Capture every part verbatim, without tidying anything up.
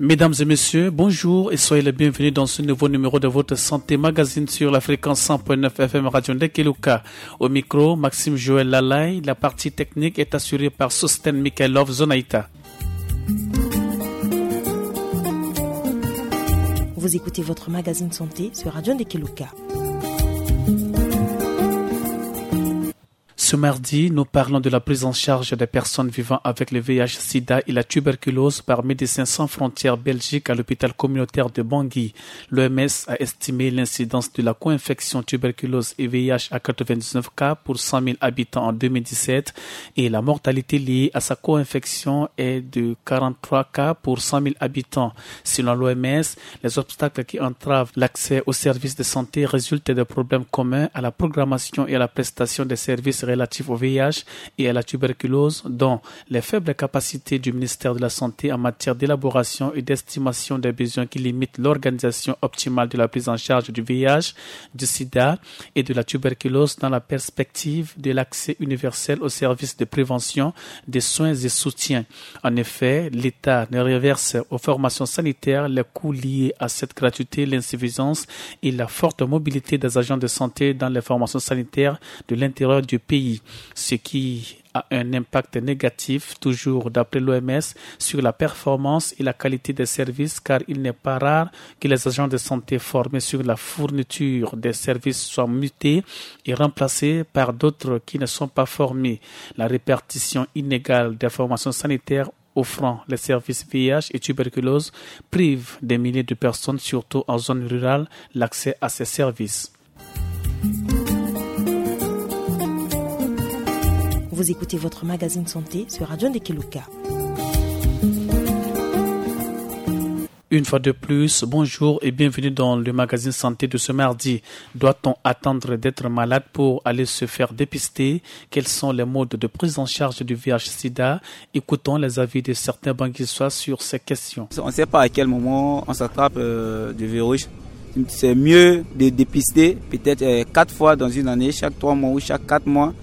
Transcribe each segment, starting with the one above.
Mesdames et messieurs, bonjour et soyez les bienvenus dans ce nouveau numéro de votre santé magazine sur la fréquence cent point neuf F M Radio Ndekeluka. Au micro, Maxime Joël Lalay, la partie technique est assurée par Sosten Mikhailov Zonaita. Vous écoutez votre magazine santé sur Radio Ndekeluka. Ce mardi, nous parlons de la prise en charge des personnes vivant avec le V I H sida et la tuberculose par Médecins sans frontières Belgique à l'hôpital communautaire de Bangui. L'O M S a estimé l'incidence de la co-infection tuberculose et V I H à quatre-vingt-dix-neuf cas pour cent mille habitants en deux mille dix-sept et la mortalité liée à sa co-infection est de quarante-trois cas pour cent mille habitants. Selon l'O M S, les obstacles qui entravent l'accès aux services de santé résultent de problèmes communs à la programmation et à la prestation des services relatifs au V I H et à la tuberculose, dont les faibles capacités du ministère de la Santé en matière d'élaboration et d'estimation des besoins qui limitent l'organisation optimale de la prise en charge du V I H, du sida et de la tuberculose dans la perspective de l'accès universel aux services de prévention, de soins et soutien. En effet, l'État ne reverse aux formations sanitaires les coûts liés à cette gratuité, l'insuffisance et la forte mobilité des agents de santé dans les formations sanitaires de l'intérieur du pays, ce qui a un impact négatif, toujours d'après l'O M S, sur la performance et la qualité des services, car il n'est pas rare que les agents de santé formés sur la fourniture des services soient mutés et remplacés par d'autres qui ne sont pas formés. La répartition inégale des formations sanitaires offrant les services V I H et tuberculose prive des milliers de personnes, surtout en zone rurale, l'accès à ces services. Vous écoutez votre magazine santé sur Radio Ndekeluka. Une fois de plus, bonjour et bienvenue dans le magazine santé de ce mardi. Doit-on attendre d'être malade pour aller se faire dépister ? Quels sont les modes de prise en charge du V I H sida ? Écoutons les avis de certains Banguissois sur ces questions. On ne sait pas à quel moment on s'attrape, euh, du virus. C'est mieux de dépister peut-être, euh, quatre fois dans une année, chaque trois mois ou chaque quatre mois,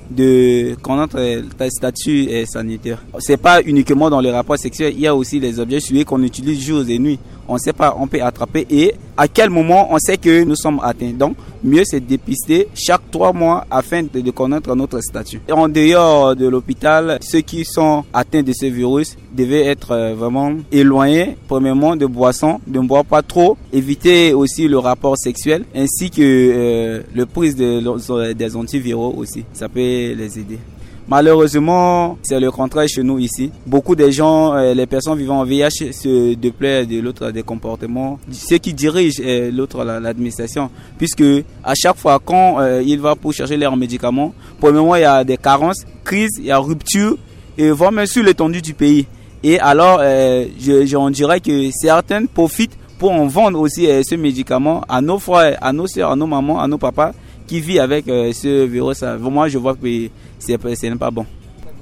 de connaître, euh, ta statut, euh, sanitaire. C'est pas uniquement dans les rapports sexuels, il y a aussi les objets souillés qu'on utilise jour et nuit. On ne sait pas, on peut attraper et à quel moment on sait que nous sommes atteints. Donc, mieux c'est de dépister chaque trois mois afin de, de connaître notre statut. Et en dehors de l'hôpital, ceux qui sont atteints de ce virus devaient être, euh, vraiment éloignés, premièrement, de boissons, de ne boire pas trop, éviter aussi le rapport sexuel, ainsi que, euh, le prise de, des antiviraux aussi. Ça peut les aider. Malheureusement, c'est le contraire chez nous ici. Beaucoup de gens, euh, les personnes vivant en V I H se déplaient de l'autre des comportements, ceux qui dirigent, euh, l'autre, la, l'administration. Puisque à chaque fois, quand, euh, il va pour chercher leurs médicaments, premièrement, il y a des carences, crise, il y a rupture, et voire même sur l'étendue du pays. Et alors, euh, je, je, on dirait que certaines profitent pour en vendre aussi, euh, ce médicament à nos frères, à nos sœurs, à nos mamans, à nos papas qui vivent avec, euh, ce virus. Moi, je vois que c'est, ce n'est pas bon.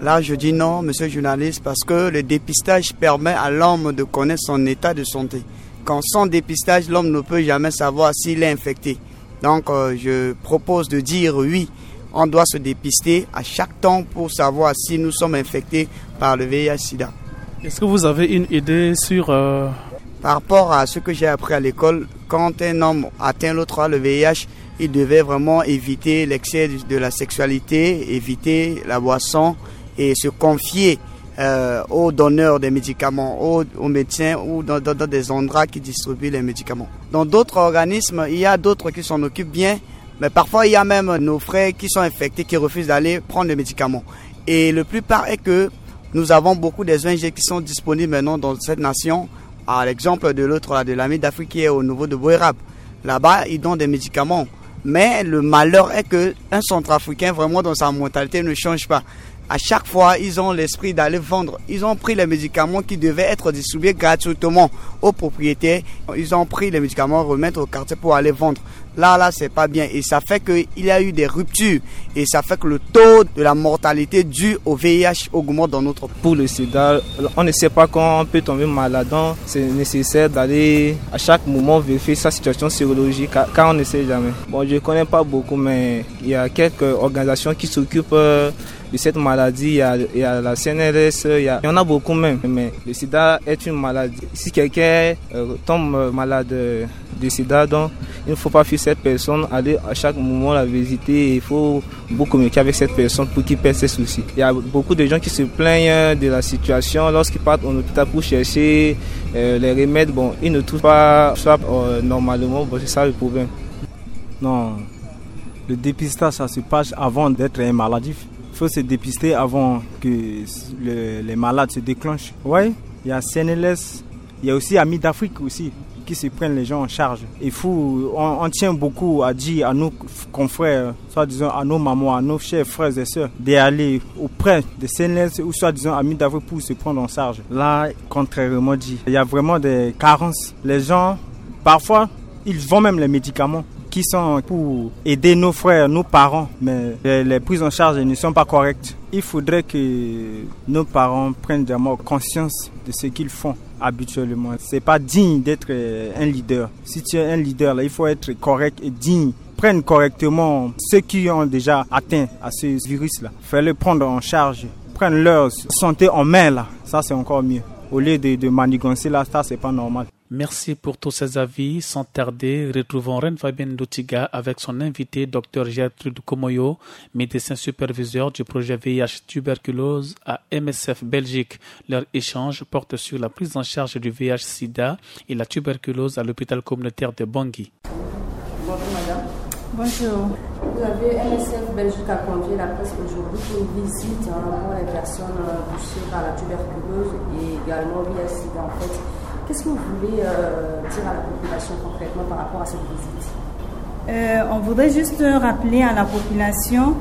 Là, je dis non, monsieur le journaliste, parce que le dépistage permet à l'homme de connaître son état de santé. Quand sans dépistage, l'homme ne peut jamais savoir s'il est infecté. Donc, euh, je propose de dire oui, on doit se dépister à chaque temps pour savoir si nous sommes infectés par le V I H sida. Est-ce que vous avez une idée sur, euh... Par rapport à ce que j'ai appris à l'école, quand un homme atteint l'autre, le V I H, il devait vraiment éviter l'excès de, de la sexualité, éviter la boisson et se confier, euh, aux donneurs des médicaments, aux, aux médecins ou dans, dans, dans des endroits qui distribuent les médicaments. Dans d'autres organismes, il y a d'autres qui s'en occupent bien, mais parfois il y a même nos frères qui sont infectés, qui refusent d'aller prendre les médicaments. Et le plus part est que nous avons beaucoup des O N G qui sont disponibles maintenant dans cette nation, à l'exemple de l'autre là, de l'Amie d'Afrique qui est au niveau de Boerab. Là-bas, ils donnent des médicaments. Mais le malheur est que un Centrafricain, vraiment, dans sa mentalité, ne change pas. À chaque fois, ils ont l'esprit d'aller vendre. Ils ont pris les médicaments qui devaient être distribués gratuitement aux propriétaires. Ils ont pris les médicaments, remettre au quartier pour aller vendre. Là, là, c'est pas bien. Et ça fait qu'il y a eu des ruptures. Et ça fait que le taux de la mortalité due au V I H augmente dans notre pays. Pour le sida, on ne sait pas quand on peut tomber malade. Donc, c'est nécessaire d'aller à chaque moment vérifier sa situation sérologique, car, car on ne sait jamais. Bon, je connais pas beaucoup, mais il y a quelques organisations qui s'occupent, euh, De cette maladie, il y a, il y a la C N L S, il y a, il y en a beaucoup même. Mais le sida est une maladie. Si quelqu'un euh, tombe malade euh, de sida, donc il ne faut pas fuir cette personne, aller à chaque moment la visiter. Il faut beaucoup communiquer avec cette personne pour qu'il perde ses soucis. Il y a beaucoup de gens qui se plaignent de la situation lorsqu'ils partent en hôpital pour chercher euh, les remèdes. Bon, ils ne trouvent pas ça euh, normalement. Bon, c'est ça le problème. Non, le dépistage, ça se passe avant d'être un maladif. Il faut se dépister avant que le- les malades se déclenchent. Oui, il y a C N L S, il y a aussi Amis d'Afrique aussi qui se prennent les gens en charge. Il faut, on, on tient beaucoup à dire à nos confrères, soit disant à nos mamans, à nos chers frères et sœurs, d'aller auprès de C N L S ou soit disant Amis d'Afrique pour se prendre en charge. Là, contrairement dit, il y a vraiment des carences. Les gens, parfois, ils vendent même les médicaments qui sont pour aider nos frères, nos parents, mais les, les prises en charge ne sont pas correctes. Il faudrait que nos parents prennent vraiment conscience de ce qu'ils font habituellement. C'est pas digne d'être euh, un leader. Si tu es un leader, là, il faut être correct et digne. Prennent correctement ceux qui ont déjà atteint à ce virus-là. Fallait prendre en charge, prendre leur santé en main, là. Ça, c'est encore mieux. Au lieu de, de manigancer, là, ça, c'est pas normal. Merci pour tous ces avis. Sans tarder, retrouvons Reine Fabienne Dotiga avec son invité, Dr Gertrude Komoyo, médecin superviseur du projet V I H tuberculose à M S F Belgique. Leur échange porte sur la prise en charge du V I H sida et la tuberculose à l'hôpital communautaire de Bangui. Bonjour madame. Bonjour. Vous avez M S F Belgique a convié la presse aujourd'hui pour une visite hein, pour les personnes euh, touchées par la tuberculose et également V I H sida en fait. Qu'est-ce que vous voulez euh, dire à la population concrètement par rapport à cette visite ? Euh, on voudrait juste rappeler à la population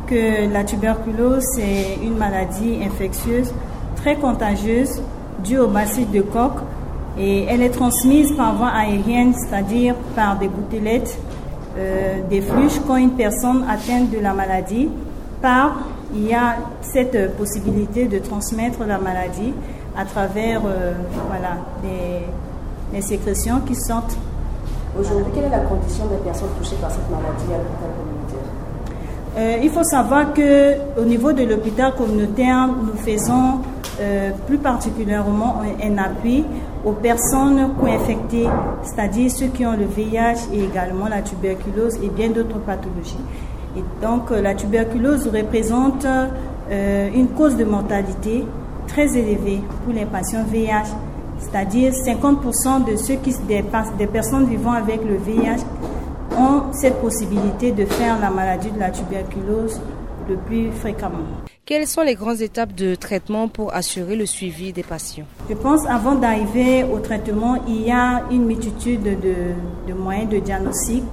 que la tuberculose est une maladie infectieuse très contagieuse due au bacille de Koch et elle est transmise par voie aérienne, c'est-à-dire par des gouttelettes, euh, des fluches. Quand une personne atteinte de la maladie part, il y a cette possibilité de transmettre la maladie à travers euh, voilà, des, des sécrétions qui sortent. Aujourd'hui, quelle est la condition des personnes touchées par cette maladie à l'hôpital communautaire ? Euh, il faut savoir que au niveau de l'hôpital communautaire, nous faisons euh, plus particulièrement un, un appui aux personnes co-infectées, c'est-à-dire ceux qui ont le V I H et également la tuberculose et bien d'autres pathologies. Et donc, euh, la tuberculose représente euh, une cause de mortalité très élevée pour les patients V I H, c'est-à-dire cinquante pour cent de ceux qui, des, pas- des personnes vivant avec le V I H ont cette possibilité de faire la maladie de la tuberculose le plus fréquemment. Quelles sont les grandes étapes de traitement pour assurer le suivi des patients ? Je pense avant d'arriver au traitement, il y a une multitude de, de moyens de diagnostic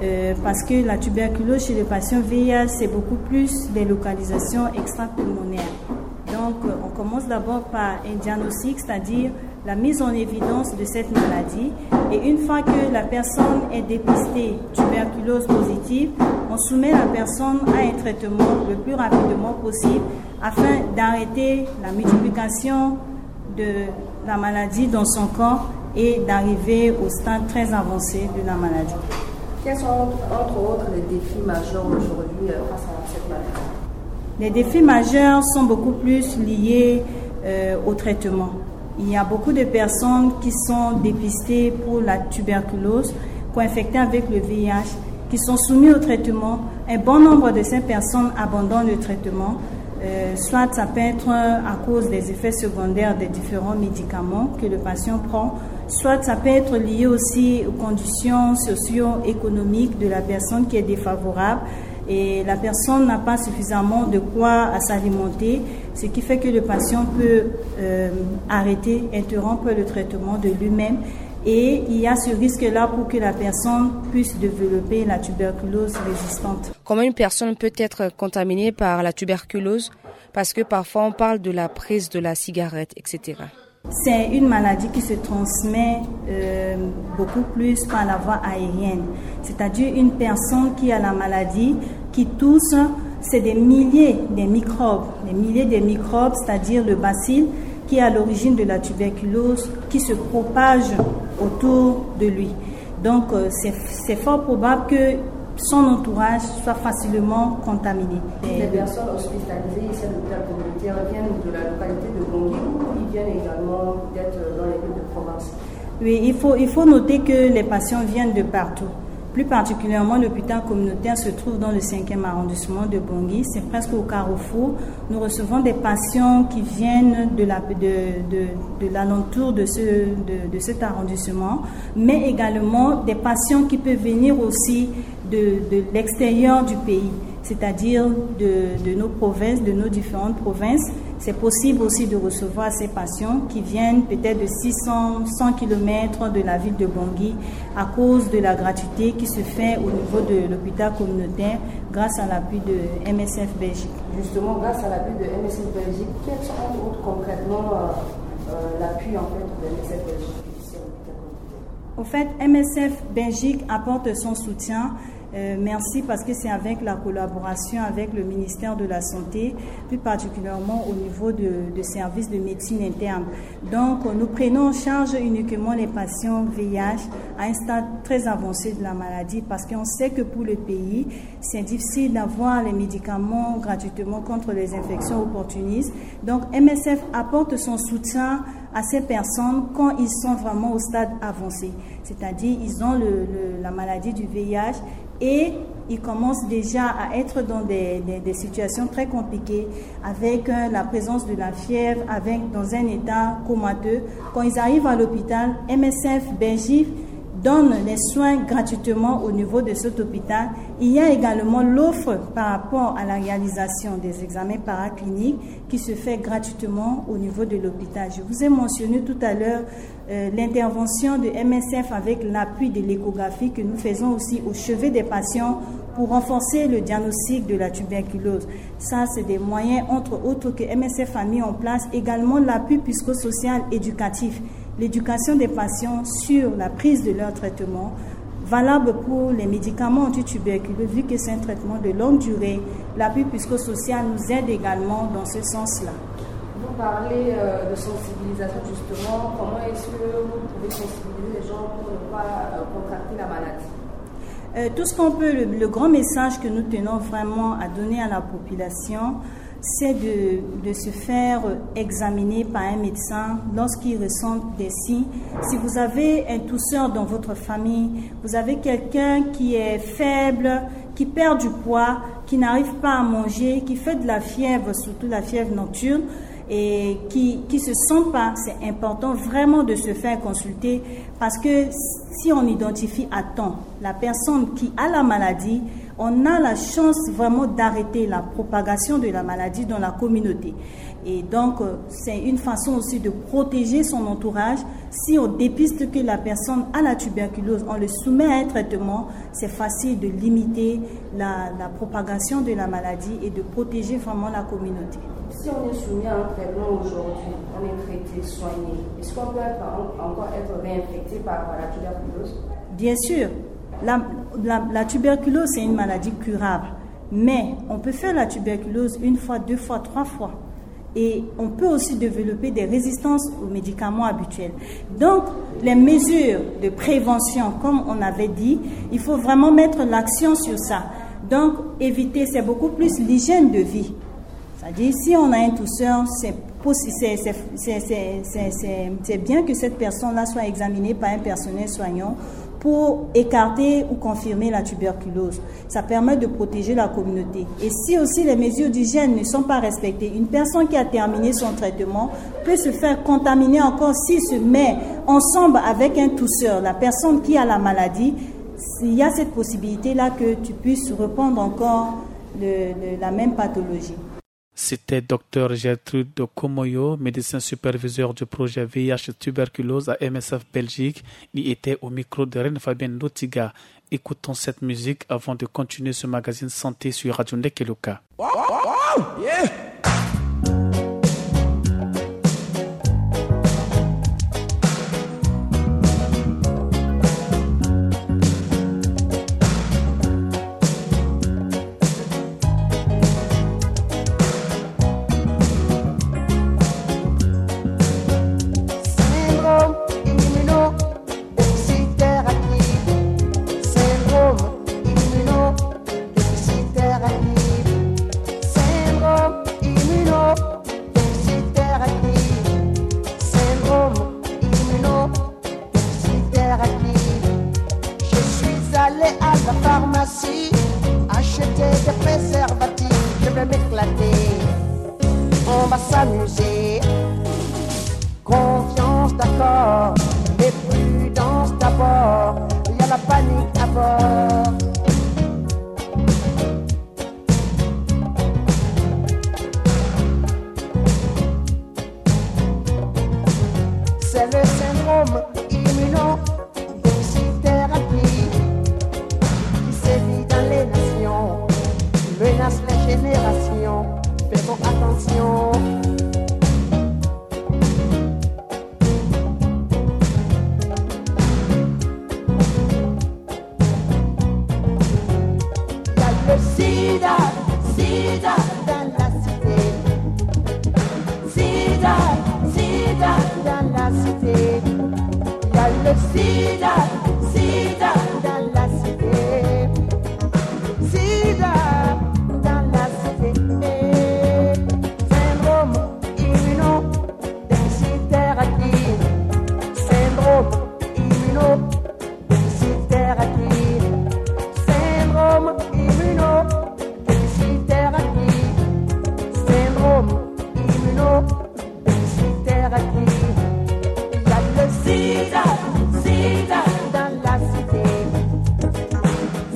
euh, parce que la tuberculose chez les patients V I H, c'est beaucoup plus des localisations extrapulmonaires. Donc, euh, on commence d'abord par un diagnostic, c'est-à-dire la mise en évidence de cette maladie. Et une fois que la personne est dépistée tuberculose positive, on soumet la personne à un traitement le plus rapidement possible afin d'arrêter la multiplication de la maladie dans son corps et d'arriver au stade très avancé de la maladie. Quels sont, entre autres, les défis majeurs aujourd'hui euh, face à cette maladie ? Les défis majeurs sont beaucoup plus liés euh, au traitement. Il y a beaucoup de personnes qui sont dépistées pour la tuberculose, co-infectées avec le V I H, qui sont soumises au traitement. Un bon nombre de ces personnes abandonnent le traitement. Euh, soit ça peut être à cause des effets secondaires des différents médicaments que le patient prend, soit ça peut être lié aussi aux conditions socio-économiques de la personne qui est défavorable et la personne n'a pas suffisamment de quoi à s'alimenter, ce qui fait que le patient peut euh, arrêter, interrompre le traitement de lui-même. Et il y a ce risque-là pour que la personne puisse développer la tuberculose résistante. Comment une personne peut être contaminée par la tuberculose ? Parce que parfois on parle de la prise de la cigarette, et cetera. C'est une maladie qui se transmet euh, beaucoup plus par la voie aérienne. C'est-à-dire une personne qui a la maladie, qui tousse, c'est des milliers de microbes, des milliers de microbes, c'est-à-dire le bacille qui est à l'origine de la tuberculose, qui se propage autour de lui. Donc, euh, c'est c'est fort probable que son entourage soit facilement contaminé. Les personnes hospitalisées ici à l'hôpital communautaire viennent de la localité de Bangui ou ils viennent également peut-être dans les villes de province ? Oui, il faut, il faut noter que les patients viennent de partout. Plus particulièrement, l'hôpital communautaire se trouve dans le cinquième arrondissement de Bangui. C'est presque au carrefour. Nous recevons des patients qui viennent de la, de, de, de l'alentour de ce, de, de cet arrondissement, mais également des patients qui peuvent venir aussi de, de l'extérieur du pays, c'est-à-dire de, de nos provinces, de nos différentes provinces. C'est possible aussi de recevoir ces patients qui viennent peut-être de six cents, cent kilomètres de la ville de Bangui à cause de la gratuité qui se fait au niveau de l'hôpital communautaire grâce à l'appui de M S F Belgique. Justement, grâce à l'appui de M S F Belgique, quels sont entre autres concrètement euh, euh, l'appui en fait de M S F Belgique ici à l'hôpital communautaire ? Au fait, M S F Belgique apporte son soutien. Euh, merci parce que c'est avec la collaboration avec le ministère de la Santé, plus particulièrement au niveau de, de services de médecine interne. Donc, nous prenons en charge uniquement les patients V I H à un stade très avancé de la maladie parce qu'on sait que pour le pays, c'est difficile d'avoir les médicaments gratuitement contre les infections opportunistes. Donc, M S F apporte son soutien à ces personnes quand ils sont vraiment au stade avancé. C'est-à-dire, ils ont le, le, la maladie du V I H et ils commencent déjà à être dans des, des, des situations très compliquées avec euh, la présence de la fièvre, avec, dans un état comateux. Quand ils arrivent à l'hôpital, M S F Belgique donne les soins gratuitement au niveau de cet hôpital. Il y a également l'offre par rapport à la réalisation des examens paracliniques qui se fait gratuitement au niveau de l'hôpital. Je vous ai mentionné tout à l'heure euh, l'intervention de M S F avec l'appui de l'échographie que nous faisons aussi au chevet des patients pour renforcer le diagnostic de la tuberculose. Ça, c'est des moyens, entre autres, que M S F a mis en place. Également, l'appui psychosocial éducatif, l'éducation des patients sur la prise de leur traitement, valable pour les médicaments antituberculeux, vu que c'est un traitement de longue durée. L'appui psychosocial nous aide également dans ce sens-là. Vous parlez euh, de sensibilisation, justement. Comment est-ce que vous pouvez sensibiliser les gens pour ne pas euh, contracter la maladie ? Euh, tout ce qu'on peut, le, le grand message que nous tenons vraiment à donner à la population, c'est de, de se faire examiner par un médecin lorsqu'il ressent des signes. Si vous avez un tousseur dans votre famille, vous avez quelqu'un qui est faible, qui perd du poids, qui n'arrive pas à manger, qui fait de la fièvre, surtout la fièvre nocturne, et qui qui se sent pas, c'est important vraiment de se faire consulter parce que si on identifie à temps la personne qui a la maladie, on a la chance vraiment d'arrêter la propagation de la maladie dans la communauté. Et donc, euh, c'est une façon aussi de protéger son entourage. Si on dépiste que la personne a la tuberculose, on le soumet à un traitement, c'est facile de limiter la, la propagation de la maladie et de protéger vraiment la communauté. Si on est soumis à un traitement aujourd'hui, on est traité, soigné, est-ce qu'on peut encore être réinfecté par la tuberculose ? Bien sûr, la, la, la tuberculose, c'est une maladie curable. Mais on peut faire la tuberculose une fois, deux fois, trois fois. Et on peut aussi développer des résistances aux médicaments habituels. Donc, les mesures de prévention, comme on avait dit, il faut vraiment mettre l'accent sur ça. Donc, éviter, c'est beaucoup plus l'hygiène de vie. C'est-à-dire, si on a un tousseur, c'est bien que cette personne-là soit examinée par un personnel soignant pour écarter ou confirmer la tuberculose. Ça permet de protéger la communauté. Et si aussi les mesures d'hygiène ne sont pas respectées, une personne qui a terminé son traitement peut se faire contaminer encore s'il se met ensemble avec un tousseur, la personne qui a la maladie. Il y a cette possibilité-là que tu puisses reprendre encore le, le, la même pathologie. C'était Dr Gertrude Komoyo, médecin superviseur du projet V I H tuberculose à M S F Belgique. Il était au micro de Reine Fabienne Lotiga. Écoutons cette musique avant de continuer ce magazine santé sur Radio Ndekeloka. Syndrome immuno-déficitaire acquis. Syndrome immuno Si, acheter des préservatifs, je vais m'éclater. On va s'amuser. Confiance d'accord, mais prudence d'abord. Il y a la panique à bord. C'est le syndrome immunodéficitaire acquis qui sévit dans les nations, menace les générations. Faisons attention. Il y a le sida, sida dans la cité. Sida, sida dans la cité. Il y a le sida, sida dans la cité. Sida dans la cité. Syndrome immunodéficitaire acquis. Syndrome immunodéficitaire acquis. Syndrome immunodéficitaire acquis. Syndrome immunodéficitaire acquis. Il y a le sida, sida dans la cité.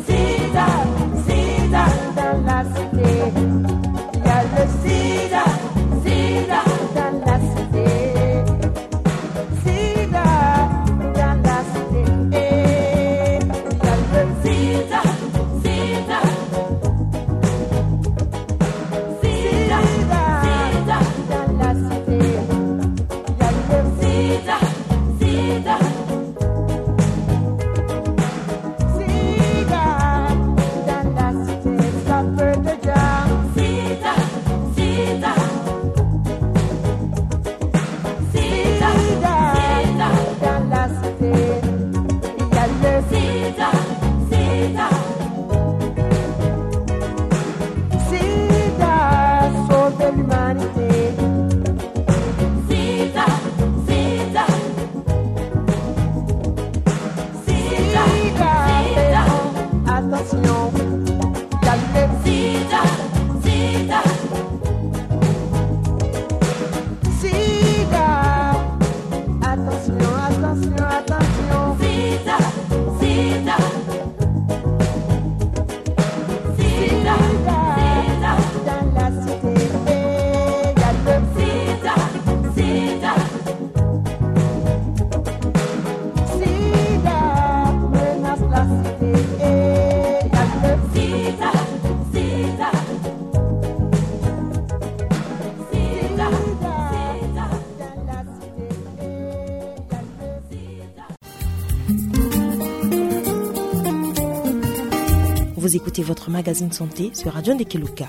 Sida, sida dans la cité. Il y a le sida, sida dans la cité. Sida dans la cité. Il y a le sida, sida. Sida, sida dans la cité. Il y a le sida, sida. Sida dans la cité, ça peut déjà. Sida, sida. Sida, sida dans la cité. Il y a le sida, sida. Sida, sauver l'humanité. Sida, sida. Sida, sida. Attention. Sida, sida. Sida. Attention, attention, attention. Sida, sida. Sida, sida. Dans la cité, il y a le sida, sida. Sida menace la cité. Il y a le sida, sida. Sida, sida. Dans la cité, il y a le sida. Vous écoutez votre magazine santé sur Radio Ndekeluka.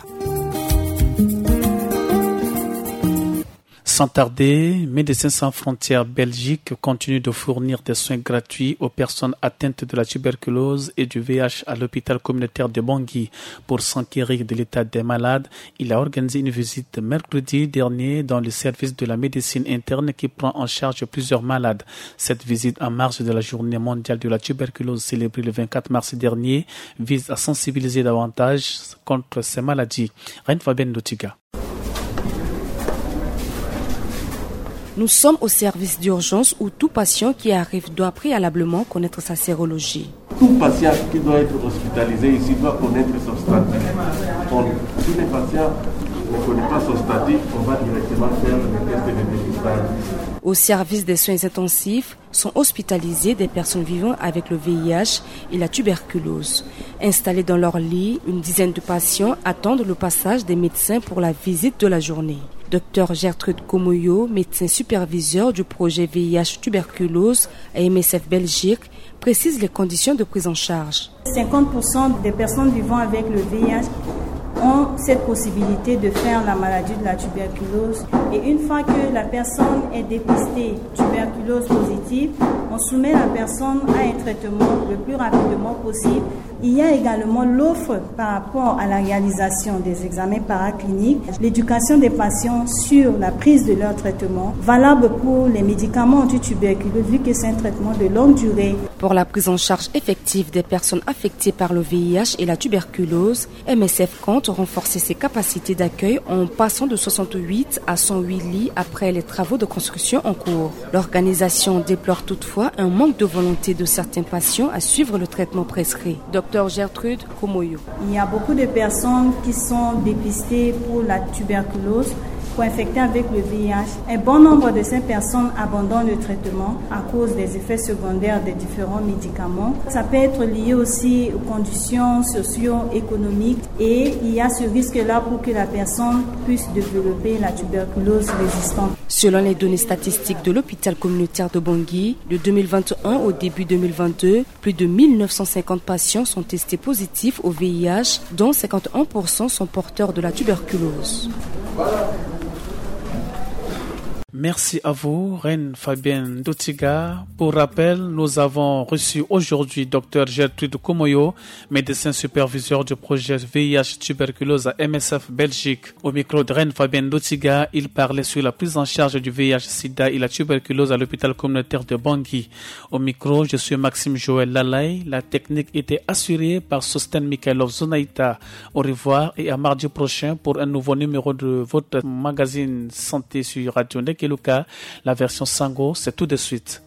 Sans tarder, Médecins sans frontières Belgique continue de fournir des soins gratuits aux personnes atteintes de la tuberculose et du V I H à l'hôpital communautaire de Bangui. Pour s'enquérir de l'état des malades, il a organisé une visite mercredi dernier dans le service de la médecine interne qui prend en charge plusieurs malades. Cette visite en marge de la journée mondiale de la tuberculose célébrée le vingt-quatre mars dernier vise à sensibiliser davantage contre ces maladies. Reine Fabienne Lotiga. Nous sommes au service d'urgence où tout patient qui arrive doit préalablement connaître sa sérologie. Tout patient qui doit être hospitalisé ici doit connaître son statut. Donc, si le patient ne connaît pas son statut, on va directement faire le test de dépistage. Au service des soins intensifs, sont hospitalisées des personnes vivant avec le V I H et la tuberculose. Installés dans leur lit, une dizaine de patients attendent le passage des médecins pour la visite de la journée. Docteur Gertrude Komoyo, médecin superviseur du projet V I H tuberculose à M S F Belgique, précise les conditions de prise en charge. Cinquante pour cent des personnes vivant avec le V I H ont cette possibilité de faire la maladie de la tuberculose. Et une fois que la personne est dépistée tuberculose positive, on soumet la personne à un traitement le plus rapidement possible Il y a également l'offre par rapport à la réalisation des examens paracliniques, l'éducation des patients sur la prise de leur traitement, valable pour les médicaments anti-tuberculose, vu que c'est un traitement de longue durée. Pour la prise en charge effective des personnes affectées par le V I H et la tuberculose, M S F compte renforcer ses capacités d'accueil en passant de soixante-huit à cent huit lits après les travaux de construction en cours. L'organisation déplore toutefois un manque de volonté de certains patients à suivre le traitement prescrit. Docteur Gertrude Komoyo. Il y a beaucoup de personnes qui sont dépistées pour la tuberculose, co-infectées avec le V I H. Un bon nombre de ces personnes abandonnent le traitement à cause des effets secondaires des différents médicaments. Ça peut être lié aussi aux conditions socio-économiques et il y a ce risque-là pour que la personne puisse développer la tuberculose résistante. Selon les données statistiques de l'hôpital communautaire de Bangui, de deux mille vingt et un au début deux mille vingt-deux, plus de mille neuf cent cinquante patients sont testés positifs au V I H, dont cinquante et un pour cent sont porteurs de la tuberculose. Merci à vous, Reine Fabienne Dotiga. Pour rappel, nous avons reçu aujourd'hui Docteur Gertrude Komoyo, médecin superviseur du projet V I H tuberculose à M S F Belgique. Au micro de Reine Fabienne Dotiga, il parlait sur la prise en charge du V I H sida et la tuberculose à l'hôpital communautaire de Bangui. Au micro, je suis Maxime Joël Lalaye. La technique était assurée par Sosten Mikhailov Zonaïta. Au revoir et à mardi prochain pour un nouveau numéro de votre magazine santé sur Radio Ndekeluka. La version Sango, c'est tout de suite.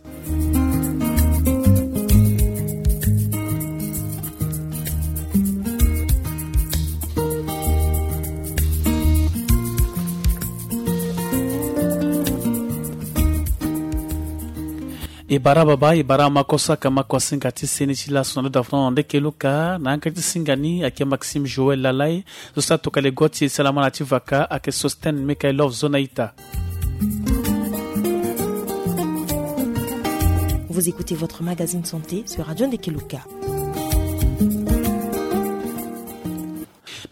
E bara baba, e bara makosa ka makosinga ti seni ti laso na ndo da fran Ndekeluka na yanga ti singa ni ayeke Maxime Joël Lalaye. Zo sa tokale go ti e salamana ti vaka ayeke Sosten Mikhailov Zonaïta. Vous écoutez votre magazine santé sur Radio Ndekeluka.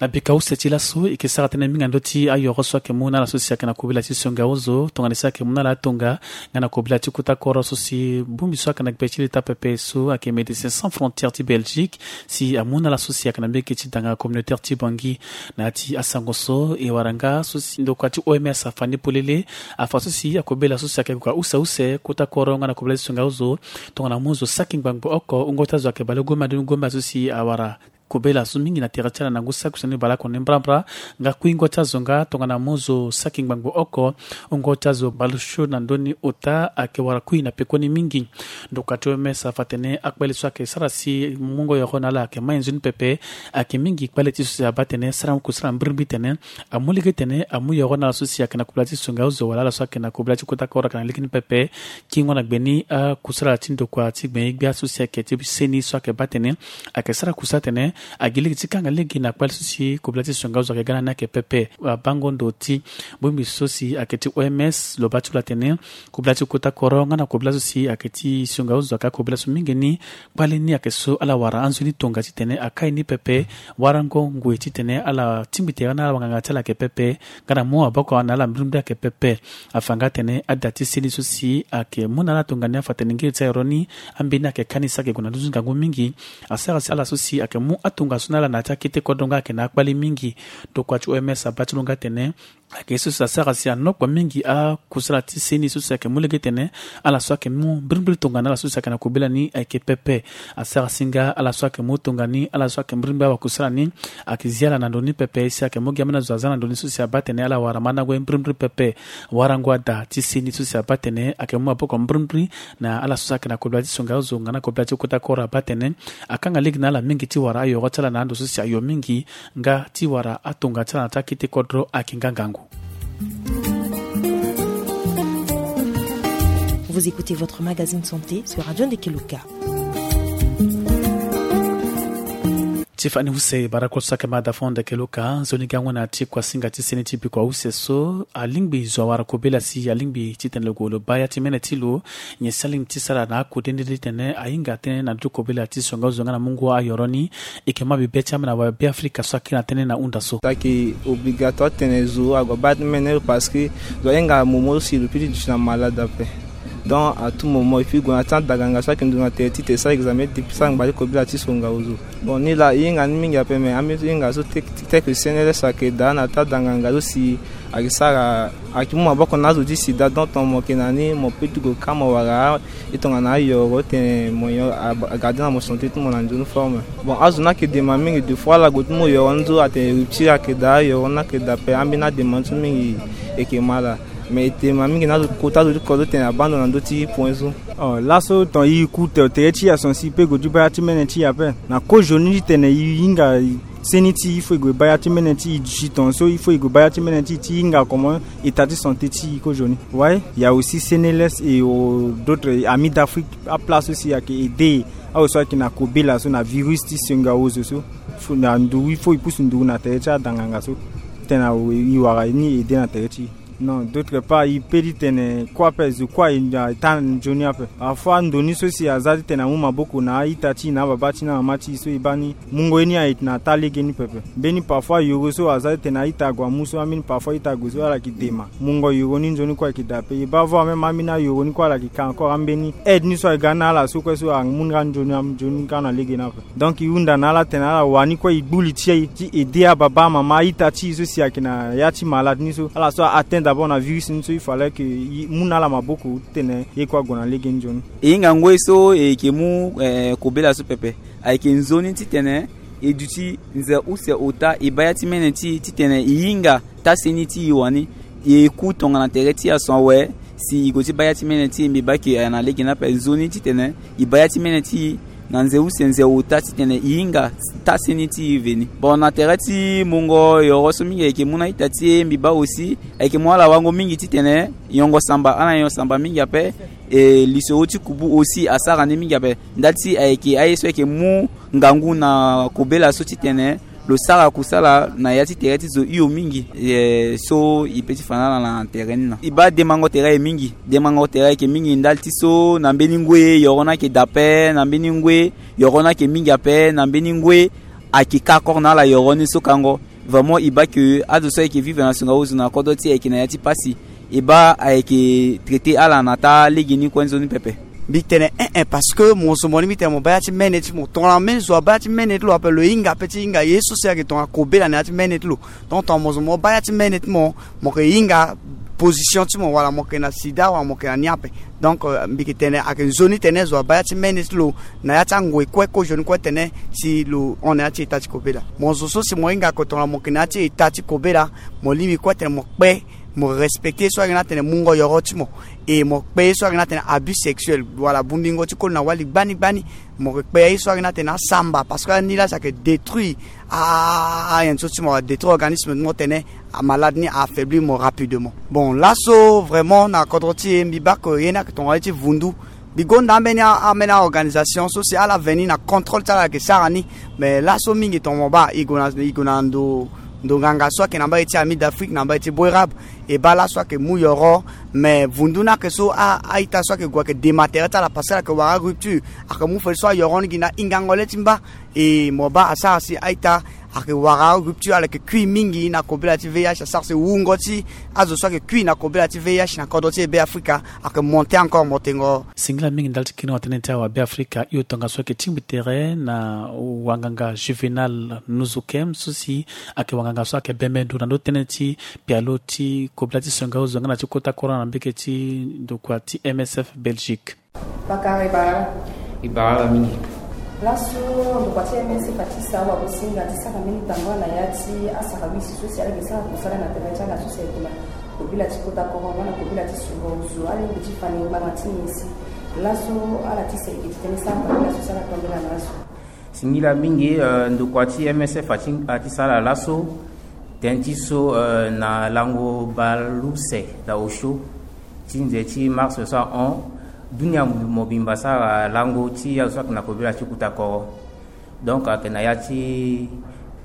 Na bika use ti laso e yeke sara tënë mingi na ndö ti ayoro so ayeke mu na ala so si ayeke na kobela ti songa ozo tongana si ayeke mu na ala atonga nga na kobela ti kota koro so si bongbi so ayeke na gbe ti leta pepe so ayeke Médecins Sans Frontières ti Belgique si amu na ala so si ayeke na mbege ti danga communautaire ti Bangui. Na ya ti asango so e wara nga so si ndokua ti O M S afa ni polele afa so si akobela so si ayeke gue use use kota koro nga na kobela ti songa ozo tongana mu zo saki ngbangbo oko wungo ti azo ayeke baleugombe na ndoni gombe so si awara kobela so mingi na tere ti ala na ngu saki use ni baleoko ni mbrambra. Nga kuingo ti azo nga tongana mu zo saki ngbangbo oko wungo ti azo baleusio na ndoni ota ayeke wara kui na pekoni mingi. Ndokua ti O M S afa atene akpale so ayeke sara si mungo yoro na ala ayeke mai nzoni pepe. Ayeke mingi kpale ti so si abaa atene sara kusala mbirimbiri tene amu lege tene amu yoro na ala so si ayeke na kobela ti songa ozo wala ala so ayeke na kobela ti kota koro ayeke na lege ni pepe. Kingo na gbe ni akusala ti ndokua ti gbenye-gbia so si ayeke ti seni so ayeke baa atene ayeke sara kusala atene agi lege ti kanga lege na kpale so si kobela ti songa ozo ayeke ga na ni ayeke pepe. Abango ndo ti bongbi so si ayeke ti O M S lo baa ti lo atene kobela ti kota koro nga na kobela so si ayeke ti songa ozo ayeke akobela so mingi ni. Kpale ni ayeke so ala wara anzoni tonga titene akai ni pepe. Warango ngoi titene ala tingbi tere na ala wanganga ti ala ayeke pepe. Nga na mu aboko na ala mbirimbiri ayeke pepe. Afa nga atene ada ti seni so si ayeke mu na ala tongana ni afa atene ngiri ti ayoro ni ambeni ayeke kani si ayeke gue na nduzu ngangu mingi. Asara si ala so si ayeke mu atongaso na ala na ya ti akete kodro nga ayeke na akpale mingi. Ndokua ti O M S abaa ti lo nga atene ayeke ye so si asara si anokpo mingi akusala ti seni so si ayeke mu lege tene ala so ayeke mu mbirimbiri tongana ala so si ayeke na kobela ni ayeke pepe. Asara si nga ala so ayeke mu tongana ni ala so ayeke mbirimbiri awakusala ni ayeke zi ala na ndoni pepe si ayeke mu gi ambeni azo aza na ndoni so si abaa atene ala wara mandango ye mbirimbiri pepe. Warango ada ti seni so si abaa atene ayeke mu maboko mbirimbiri na ala so si ayeke na kobela ti songa ozo nga na kobela ti kota koro abaa atene akanga lege na ala mingi ti wara ayoro ti ala na ando so si ayo mingi nga ti wara atonga ti ala na ti akete kodro ayeke nga ngangu. Vous écoutez votre magazine santé sur Radio Ndekeluka. Ti fani use bara kue so ayeke ma da fo Ndekeluka nzoni gango na ti kuasinga ti seni ti bikua use so alingbi zo awara kobela si alingbi titene lo gue lo baa ya ti mene ti lo. Nyen si alingbi ti sara na akode nde titene ahinga tënë na ndö ti kobela ti songa ozo nga na mungo ayoro ni. E yeke ma bibe ti ambeni awabe Afrika so akiri na tënë na hunda so. Ayeke obligatoire titene zo ague abaa mene lo parce que zo ahinga momo si lo peut ti duti na malade ape. Donc à tout moment il faut e gue na ti adanganga so ayeke ndu na tere ti e sara examen depuis sara ngba ti kobela ti songa ozo. Bon ni laa e hinga ni mingi ape, mais ambeni so e hinga so tek tek C N L S ayeke daa na ti adanganga so si ayeke sara ayeke mu maboko na azo ti sida. Donc tongana mo yeke na ni mo peut ti gue ka mo wara e tongana ayoro titene mo yo a- a garder na mo santé ti mo na nzoni forme. Bon azo ni ayeke dema mingi, deux fois ala gue ti mu yoro ni so atene rupture ayeke daa, yoro ni ayeke daa ape. Ambeni adema ni so mingi e yeke ma ala. Mais e dema mingi na azo kota azo ti kodro titene abaa ndo na ndö ti point so. Oh, laso ton e ku te- tere ti e ason si e peut gue ti baa ya ti mene ti e ape. Na kozoni titene e hinga seni ti e, il faut e gue baa ya ti mene ti e. Duti ton so il faut e gue baa ya ti mene ti e ti e hinga comment état ti santé ti e kozoni. Ouais, il y a aussi C N L S et euh, d'autres amis d'Afrique, aplace aussi ayeke aider azo so ayeke na kobela so na virus ti songa ozo so. Faut na nduru, il faut e pusu nduru na tere ti adanganga so titene e wara ni aider na tere ti e. Non, d'autre part e peut ti tene kue ape, zo kue aye na taa nzoni ape. Parfois ndo ni so si aza titene amu maboko na a-ita ti e na ababa ti e na mama ti e so e baa ni mungo ye ni aye na taa lege ni pepe. Mbeni parfois yoro so aza titene a-ita ague amu so, ambeni parfois a-ita ague so ala yeke dema. Mungo yoro ni nzoni kue ayeke daa ape. E baa vo ameme ambeni ayoro ni kue ala yeke ka encore ambeni aide ni so ayeke ga na ala so kue so amu nga nzoni, nzoni nga na lege ni ape. Donc e hunda na ala titene ala wani kue e gbu li ti e ti aider ababa amama a-ita ti e so si ayeke na ya ti malade ni so, ala so a-atteint d'abord na virus ni so, il fallait que e mu na ala maboko titene ye kue ague na lege ni nzoni. E hinga ngoi so e yeke mu eh, kobela so pepe. Ayeke nzoni titene e duti nze use ota e baa ya ti mene ti e titene e hinga taa seni ti e wani. E ku tongana tere ti e ason awe si e gue ti baa ya ti mene ti e, mbi baa ke ayeke na lege ni ape. Nzoni titene e baa ya ti mene ti e na nze use nze ota titene e hinga taa seni ti e veni. Bon na tere ti mungo yoro so mingi ayeke mu na a-ita ti e, mbi baa aussi ayeke mu ala wango mingi titene yongo samba, ala nyon samba mingi ape. E lisoro ti kubu aussi asara ni mingi ape. Nda ti ayeke aye so ayeke mu ngangu na kobela so titene lo sara kusala na ya ti tere ti zo hio mingi. Eh, so e peut ti fa na ala na tere ni na e baa demango tere aye mingi. Demango tere ayeke mingi ndali ti so na mbeni ngoi yoro ni ayeke daa ape, na mbeni ngoi yoro ni ayeke mingi ape, na mbeni ngoi ayeke ka kor na ala yoro ni so kango. Vraiment e baa ke azo so ayeke vivre na songa ozo na kodro ti e ayeke na ya ti pasi. E baa ayeke traiter ala na taa lege ni kue nzoni pepe. Mbi tene eh eh, parce que mo zo mo ni mbi tene mo baa ya ti mene ti mo tongana mbeni zo abaa ya ti mene ti lo ape, lo hinga ape ti hinga ye so si ayeke tongana kobela na ya ti mene ti lo. Donc tongana mo zo mo baa ya ti mene ti mo, mo yeke hinga position ti mo wala mo yeke na sida wala mo yeke na ni ape. Donc euh, mbi yeke tene ayeke nzoni tene zo abaa ya ti mene ti lo na ya ti angoi kue kozoni kue tene si lo hon na ya ti eta ti kobela. Mo zo so si mo hinga ake tongana mo yeke na ya ti eta ti kobela, mo lingbi kue tene mo kpe, mo respecter ye so ayeke na tene mungo yoro ti mo. E mo kpe ye so ayeke na tene abus sexuel wala bungbingo ti koli na wali gbani gbani. Mo yeke kpe ye so ayeke na tene asamba, parce que ani laa si ayeke détruire a- a- a- ayen so ti mo wala détruire organisme ti mo tene amalade ni a-affaiblir mo rapidement. Bon laso vraiment na kodro ti e mbi baa ke ye ni ayeke tongana ye ti vundu. Mbi gonda ambeni a- ambeni a-organisation so si ala veni na contrôle ti ala ayeke sara ni. Mais laso mingi tongana mo baa e gue na e gue na ndo ndo nganga so ayeke na mbage ti Amis d'Afrique na mbage ti Boerab. E baa laso ayeke mu yoro. Mais vundu ni ayeke so a- a-ita so ayeke gue ayeke dema tere ti ala parce que ala yeke wara arupture. Ayeke mu fade so ayoro ni gi na hingango le ti mba. E mo baa asara si a-ita ayeke wara arupture, ala yeke kui mingi na kobela ti V I H, asara si wungo ti azo so ayeke kui na kobela ti V I H na kodro ti e Beafrika ayeke monter encore motengo. Singila mingi ndali ti kiringo tënë ti awa Beafrika hio tongaso ayeke tingbi tere na wanganga Juvenal Nuzukem so si ayeke wanganga so ayeke bembe ndo na ndö tënë ti pialo ti kobela ti songa ozo nga na ti kota koro na mbeke ti ndokua ti M S F Belgique. Bakara e bara ala. E bara ala mingi. Laso ndokua ti M S F ati sa awagosinga ti sara mbeni tambula na ya ti asara wisi so si ala yeke sara kusala na tere ti ala so si ayeke na kobela ti kota koro nga na kobela ti sungo ozo, alingbi ti fa ni ngbanga ti nyen si laso ala ti sa e yeke ti tene sara tambula so si ala tambula na laso. Singila mingi, eh, ndokua ti M S F ati, ati sara laso tënë ti so, eh, na lango bale use na osio ti nze ti mars so ahon, dunia mobimba asara lango ti azo so ayeke na kobela ti kota koro. Donc ayeke na ya ti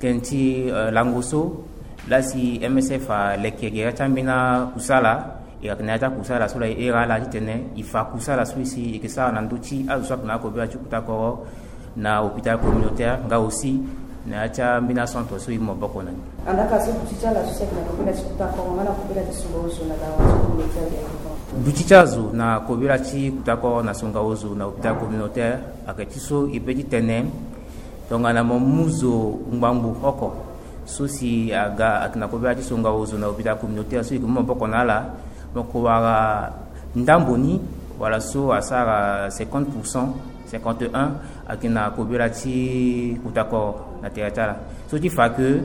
tënë ti, eh, lango so laa si M S F aleke gere ti ambeni akusala. E yeke na ya ti akusala so laa e iri ala titene e fa kusala so si e yeke sara na ndö ti azo so ayeke na akobela ti kota koro na hôpital communautaire nga aussi na ya ti ambeni acentre so e mu maboko na ni. Andaka so duti ti ala so si ayeke na kobela ti kota koro nga na kobela ti sungo ozo na dawa ti communautaire de développement. Duti ti azo na kobela ti kutakoro na songa ozo na hôpital communautaire ayeke ti so e pe ti tene tongana mo mu zo ngbangbu oko so si aga ayeke na kobela ti songa ozo na hôpital communautaire so e yeke mu maboko na ala, mo yeke wara ndambo ni wala so asara cinquante pour cent, cinquante et un, ayeke na kobela ti kutakoro na tere ti ala. So ti fa ke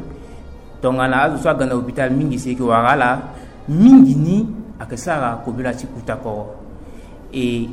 tongana azo so aga na hôpital mingi si e yeke wara ala, mingi ni ayeke sara kobela ti kutakoro. E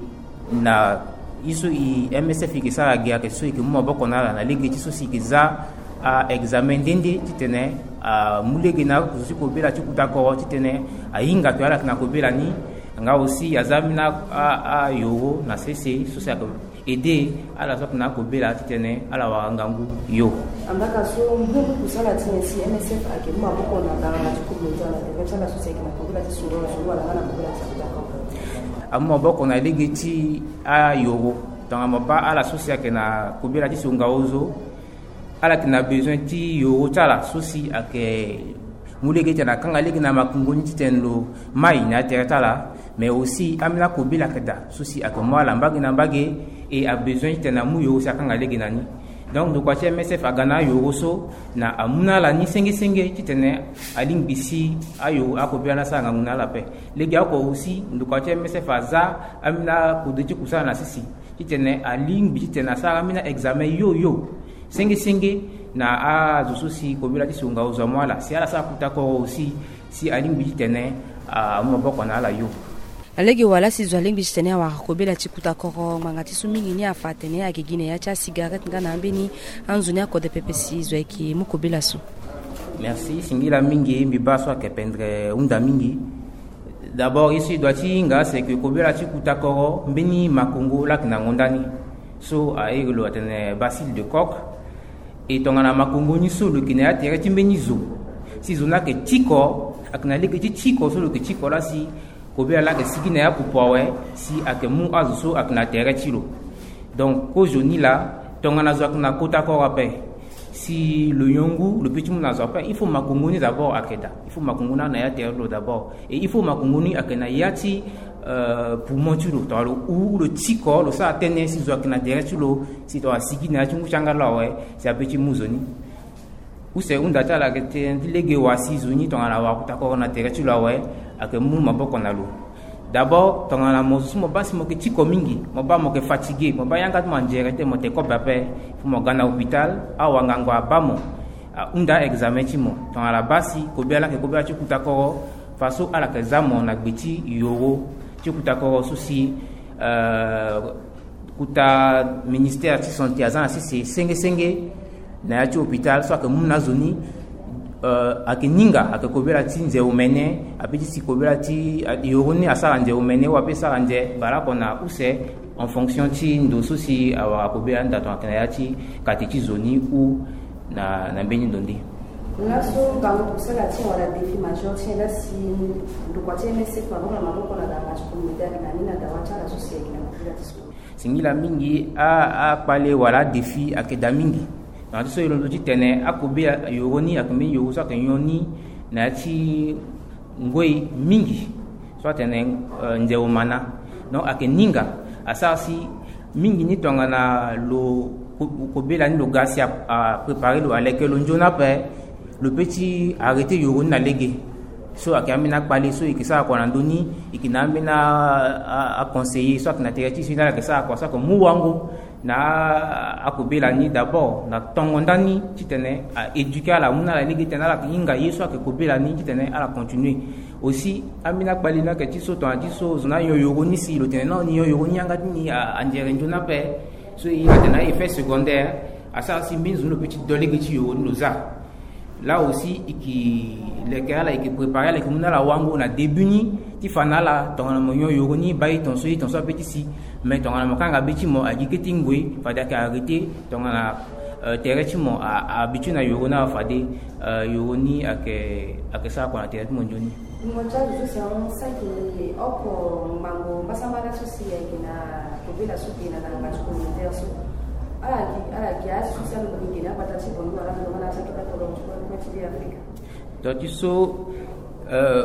na ye so e M S F e yeke sara ge ayeke so e yeke mu maboko na ala na lege ti so si e yeke za a-examen nde nde titene amu lege na azo ti kobela ti kutakoro titene ahinga to ala yeke na kobela ni. Nga aussi aza ambeni a-, a-, ayoro na sese so si ayeke aidé ala so ayeke na akobela titene ala wara ngangu yo. Ambaka so mbu kusala ti nyen si M S F ayeke mu maboko na baranga ti communautaire na tere ti ala so si ayeke na kobela ti soro na soro wala nga na kobela ti kutakoro? Amu maboko na lege ti ayoro. Tongana mo baa ala so si ayeke na kobela ti songa ozo, ala yeke na besoin ti yoro ti ala so si ayeke mu lege titene akanga lege na makongo ni titene lo mai na ya tere ti ala. Mais aussi ambeni akobela ayeke daa so si ayeke mu ala mbage na mbage. E abesoin titene amu yoro si akanga lege na ni. Donc ndokua ti M S F aga na ayoro so na amu na ala ni senge senge titene alingbi si ayoro akobela ni asara ngangu na ala ape. Legeoko aussi ndokua ti M S F aza ambeni akode ti kusala na sese titene alingbi titene asara ambeni a-examen yo yo senge senge na azo so si kobela ti songa ozo amu ala si ala sara kutakoro aussi si alingbi titene amu maboko na ala yo. Na lege wala si zo alingbi titene awara kobela ti kutakoro, ngbanga ti so mingi ni afa atene ayeke gi na ya ti asigarette nga na ambeni anzoni akode pepe si zo ayeke mu kobela so. Merci, singila mingi, mbi baa so ayeke pendere hunda mingi. D'abord ye so e doit ti hinga c'est que kobela ti kutakoro mbeni makongo laa ayeke na ngonda ni so a iri lo atene bacille de Koch. E tongana makongo ni so lo yeke na ya tere ti mbeni zo si zo ni ayeke tiko, ayeke na lege ti tiko so lo yeke tiko laa si kobela laa ayeke sigi na ya pupu awe si ayeke mu azo so ayeke na tere ti lo. Donc kozoni laa tongana zo ayeke na kota koro ape si lo yongu lo pe ti mu na zo ape, il faut makongo ni d'abord ayeke daa. Il faut makongo ni ayeke na ya tere ti lo d'abord. Et il faut makongo ni ayeke na ya ti, euh, poumon ti lo, tongana lo hu lo tiko lo sara tënë si zo ayeke na tere ti lo si tongana asigi na ya ti ngu ti angala awe si ape ti mu zo ni. Use hunda ti ala ayeke tene ti lege wa si zo ni tongana awara kutakoro na tere ti lo awe, ayeke mu maboko na lo. D'abord tongana mo zo so mo baa si mo yeke tiko mingi, mo baa mo yeke fatigué, mo baa yanga ti mo anzere ti mo te kobe ape, faut mo ga na hôpital, awangango abaa mo, ahunda examen ti mo. Tongana abaa si kobela laa ayeke kobela ti kutakoro, faso ala yeke za mo na gbe ti yoro ti kutakoro so si, euh, kota ministère ti santé aza na sese senge senge na ya ti hôpital so ayeke mu na azo ni, euh, ayeke ninga ayeke kobela ti nze omene, ape ti si kobela ti, euh, yoro ni asara nze omene ou ape sara nze baleoko na use en fonction ti ndo so si awara kobela ni daa tongana ayeke na ya ti kate ti zo ni ou na, na mbeni ndo nde. Laso ngangu kusala ti wala défi majeur ti laa si ndokua ti M S F maboko na maboko na baranga ti communautaire na ni na dawa ti ala so si ayeke na kobela ti so. Singila mingi, a, akpale wala adéfi ayeke daa mingi. Tongana ti so e londo titene akobela yoro ni ayeke mbeni yoro so ayeke nyon ni na ya ti ngoi mingi so atene, euh, nze omana. Donc ayeke ninga asara si mingi ni tongana lo ko-, kobela ni lo ga si a, apréparé lo, aleke lo nzoni ape, lo pe ti arrêté yoro ni na lege. So ayeke ambeni akpale so e yeke sara kua na ndö ni, e yeke na ambeni a, a, aconseiller so ayeke na tere ti e so ni ala yeke sara kua so ayeke mu wango na a, akobela ni d'abord na tongo ndani titene a éduqué ala, amu na ala lege titene ala yeke hinga ye so ayeke kobela ni titene ala continué. Aussi ambeni akpale ni ayeke ti so tongana ti so zo ni anyon yoro ni si lo tene non ni nyon yoro ni yanga ti ni a, anzere nzoni ape. So e hinga tene a effet secondaire asara si mbeni zo ni lo pe ti do lege ti yoro ni lo za. Là aussi e yeke leke ala, e yeke préparé ala, e yeke mu na ala wango na début ni ti fa na ala tongana mo nyon yoro ni baa e tongaso, e tongaso ape ti si. Mais tongana mo kanga be ti mo agi kete ngoi fade ayeke arrêté tongana, euh, tere ti mo a, a habitué na yoro ni awe fade, euh, yoro ni ayeke, ayeke sara kua na tere ti mo nzoni. Mo ti azo so si ahon saki ni oko ngbangbo mbasambala so si ayeke na kobela so ge na ngbanga ti communautaire so. Ala gi, ala gi azo so si alondo ni ge na agbata ti Bongi wala alondo nga na azo so alondo ti kue ti Be Afrika. Donc ti so, euh,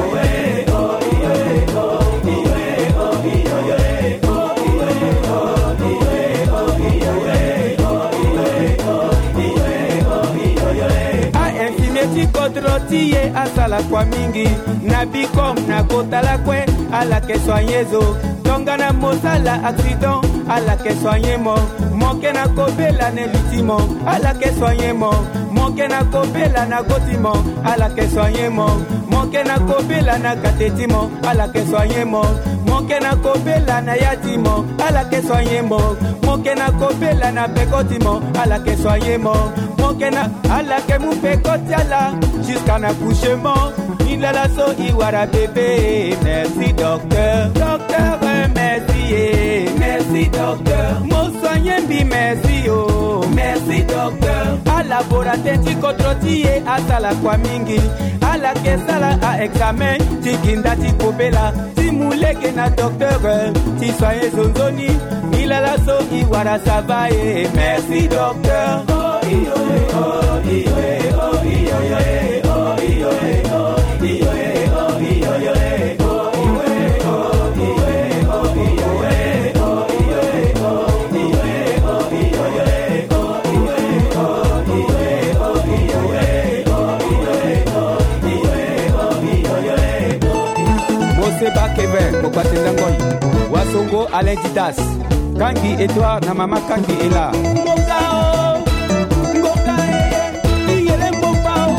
Ainfime ti kodro ti e asala kua mingi. Na bikom na kota lakue, ala ke soigner zo. Tongana mo sala accident, ala ke soigner mo. Mo ke na kobela na li ti mo, ala ke soigner mo. Mo ke na kobela na go ti mo, ala ke soigner mo. Mo Mo ke na kobela na kate ti mo, ala ke soigner mo. Mo ke na kobela na ya ti mo, ala ke soigner mo. Mo ke na kobela na peko ti mo, ala ke soigner mo. Mo ke na, ala ke mu peko ti ala jusqu'à na couchement. Ni lala so i wara bébé. Merci docteur, docteur, merci, eh. Merci docteur, mo soigner mbi, merci, oh. Merci docteur. Ala bora teti kodro ti e, asala kua mingi. Ala ke sala a examen ti gi nda ti kobela, ti mu lege na docteur, ti soigner zo nzoni. Ni lala so i wara, ça va, eh. Merci docteur. Mose Bakeve, Mokpate Ndangoi, Wasongo Alain Didas, Kangi Edouard na mama Kangi Ela. Mboka o, mboka e, iyele mboka o,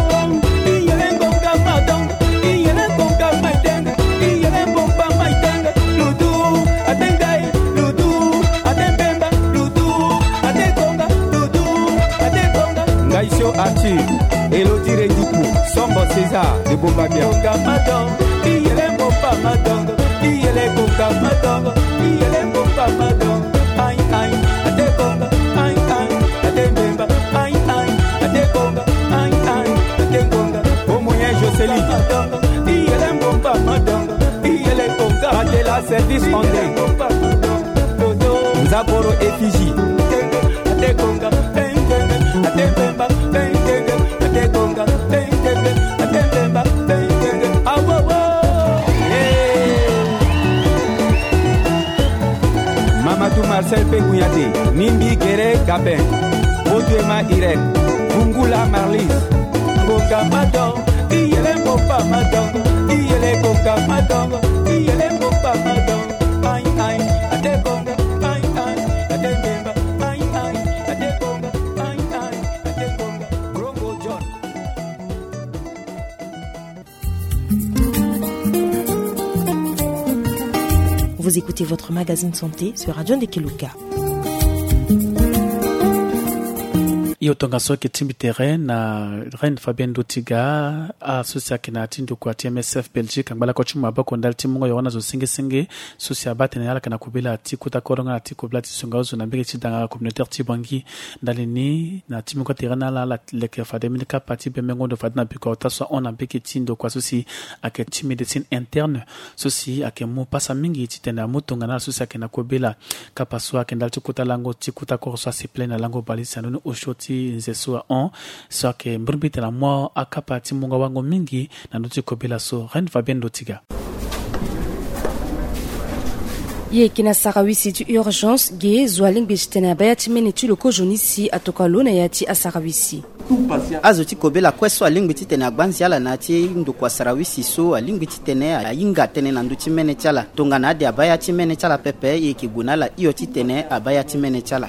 iyele mboka madon, iyele mboka maitenge, iyele mboka maitenge, ludu, atengai, ludu, atembemba, ludu, atekonga, ludu, atekonga. Ngaisio Arthur, Elodie Reduku, Sombo César de Bombabia. Mboka madon, iyele mboka madon, iyele mboka madon, iyele mboka madon. Ai, ai, atekonga, ai, ai, atembemba, ai, ai, atekonga, ai, ai, atekonga. Au moyen Jocelyne. Madongo, iyele mbomba madongo, iyele konga. Mandela service André. Nzaboro effigie. Atekonga, tengenge, atembemba, tengenge, atekonga, tengenge, atembemba, tengenge. Awowo. Hey. Mamadou Marcel Pegouyade, Mimbi Guerre Gabin, Oduema Irène, Bungula Marlise. Konga madon, iyele mboka madon, iyele konga madon, iyele mboka madon. Ai, ai, atekonga, ai, ai, atembemba, ai, ai, atekonga, ai, ai, atekonga. Brongo John. Vous écoutez votre magazine santé sur Radio Ndekeluka. Yo tongaso ayeke tingbi tere na Reine Fabienne Ndotiga, aso si ayeke na ya ti ndokua ti M S F Belgique, angba lakue ti mu maboko ndali ti mungo yoro na zo senge senge so si abaa tene ala yeke na kobela ti kota kodro nga na ti kobela ti sunga ozo na mbege ti danga communautaire ti Bangui. Ndali ni, na ti mungo tere na ala, ala leke fade mbeni kapa ti bembengo ndo fade na biko ota so ahon na mbege ti ndokua so si ayeke ti médecine interne, so si ayeke mu pasa mingi titene amu tongana ala so si ayeke na kobela. Kapa so ayeke ndali ti kota lango ti kota kodro so asiple na lango bale si ando ni osio ti nze so ahon, so ayeke mbirimbiri tene amu akapa ti mungo awango mingi na ndö ti kobela so. Reine Fabienne Ndotiga. E yeke na sarawisi ti urgence ge zo alingbi titene abaa ya ti mene ti lo kozoni si atokua lo na ya ti asarawisi. Azo ti kobela kue so alingbi titene agbanzi ala na ya ti ndokua sarawisi so alingbi titene ahinga tënë na ndö ti mene ti ala. Tongana ade abaa ya ti mene ti ala pepe, e yeke gue na ala hio titene abaa ya ti mene ti ala.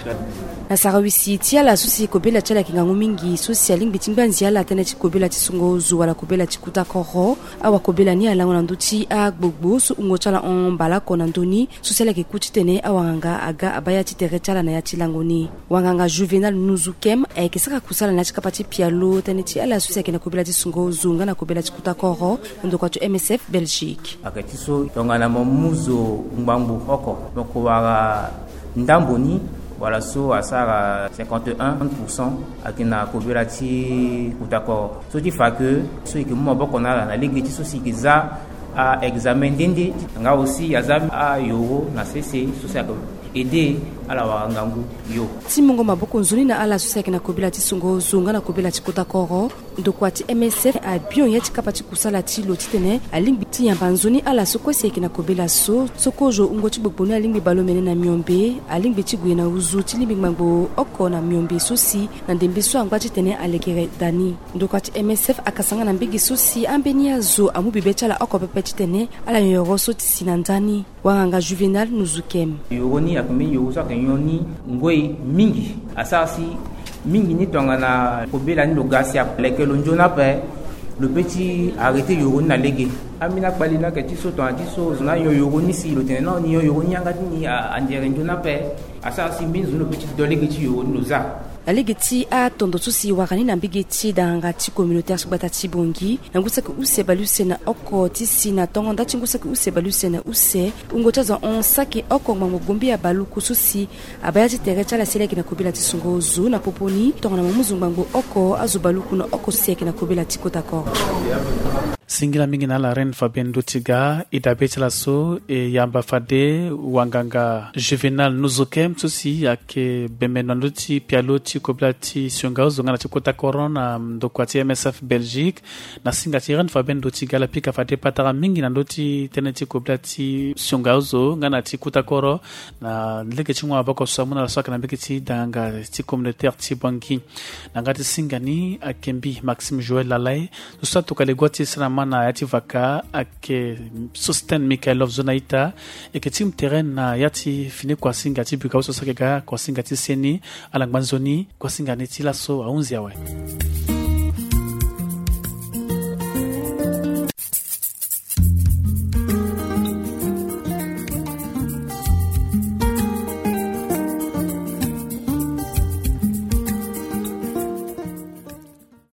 Na sarawisi ti ala so si kobela ti ala ayeke ngangu mingi, so si alingbi ti ngbanzi ala tënë ti kobela ti sungo zo wala kobela ti kota koro. Awakobela ni alango na ndö ti agbogbo so wungo ti ala hon mbalaoko na ndö ni, so si ala yeke ku titene awanganga aga abaa ya ti tere ti ala na ya ti lango ni. Wanganga Juvenal Nuzukem ayeke sara kusala na ya ti kapa ti pialo tënë ti ala so si ayeke na kobela ti sungo zo nga na kobela ti kota koro, ndokua ti M S F Belgique. Ayeke ti so tongana mo mu zo ngbangbo oko, mo ko wara ndambo ni, wala so asara cinquante et un pour cent ayeke na kobela ti kota koro. So ti fa ke so e yeke mu maboko na ala na lege ti so si e yeke za a-examen nde nde, nga aussi e za ayoro na sese so si ayeke aidé ala wara ngangu yo. Ti mungo maboko nzoni na ala so si ayeke na kobela ti sungo zo nga na kobela ti kota koro, ndokua ti M S F abion ya ti kapa ti kusala ti lo titene alingbi ti yamba nzoni ala so kue si ayeke na kobela so. So kozo wungo ti gbogbo ni alingbi bale omene na miombe, alingbi ti gue na nduzu ti lingbi ngbangbo oko na miombe so si na ndembe so angba titene alekere da ni. Ndokua ti M S F akasanga na mbege so si ambeni azo amu bebe ti ala oko pepe titene ala nyon yoro so ti si na nda ni. Wanganga Juvenal Nuzukem. Yoro ni ayeke mbeni yoro so ayeke nyon ni ngoi mingi. Asara si mingi ni tongana kobela ni lo ga si aleke lo nzoni ape, Lo pe ti arrêter yoro ni na lege. Ambeni akpali ni ayeke ti so tongana ti so zo ni ayo yoro ni si lo tene non, ni yo yoro ni yanga ti ni, a- andiere nzoni ape. Asara si mbeni zo ni lo pe ti do lege ti yoro ni lo za. Na lege ti atondo so si wara ni na mbege ti danganga ti communautaire ti gbata ti Bangui, na ngu saki use bale use na oko ti si na tongo nda ti ngu saki use bale use na use, wungo ti azo ahon saki oko ngbangbo gombi ya baluku so si abaa ya ti tere ti ala si ala yeke na kobela ti songo zo na popo ni tongana mo mu zo ngbangbo oko azo baluku na oko so si ayeke na kobela ti kota koro. Singila mingi na ala Reine Fabienne Ndotiga, e dabe ti ala so e yamba fade wanganga Juvenal Nuzukem so si ayeke bembe na ndö ti pialo ti kobela ti sionga ozo nga na ti kota koro na ndokua ti M S F Belgique. Na singa ti Reine Fabienne Ndotiga, ala pika fade patara mingi na ndö ti tënë ti kobela ti sionga ozo nga na ti kota koro. Na lege ti ngu maboko so amu na ala so ayeke na mbege ti danganga ti communautaire ti Bangui. Na nga ti singa ni ayeke mbi Maxime Joël Lalay. Zo so atokua legua ti sara ma na ya ti vaka ayeke Sostène Mikhailov zo na ita. E yeke ti mu tere na ya ti fini kuasinga ti buka so so ayeke ga kuasinga ti seni. Ala ngba nzoni, kuasinga ni ti laso ahunzi awe.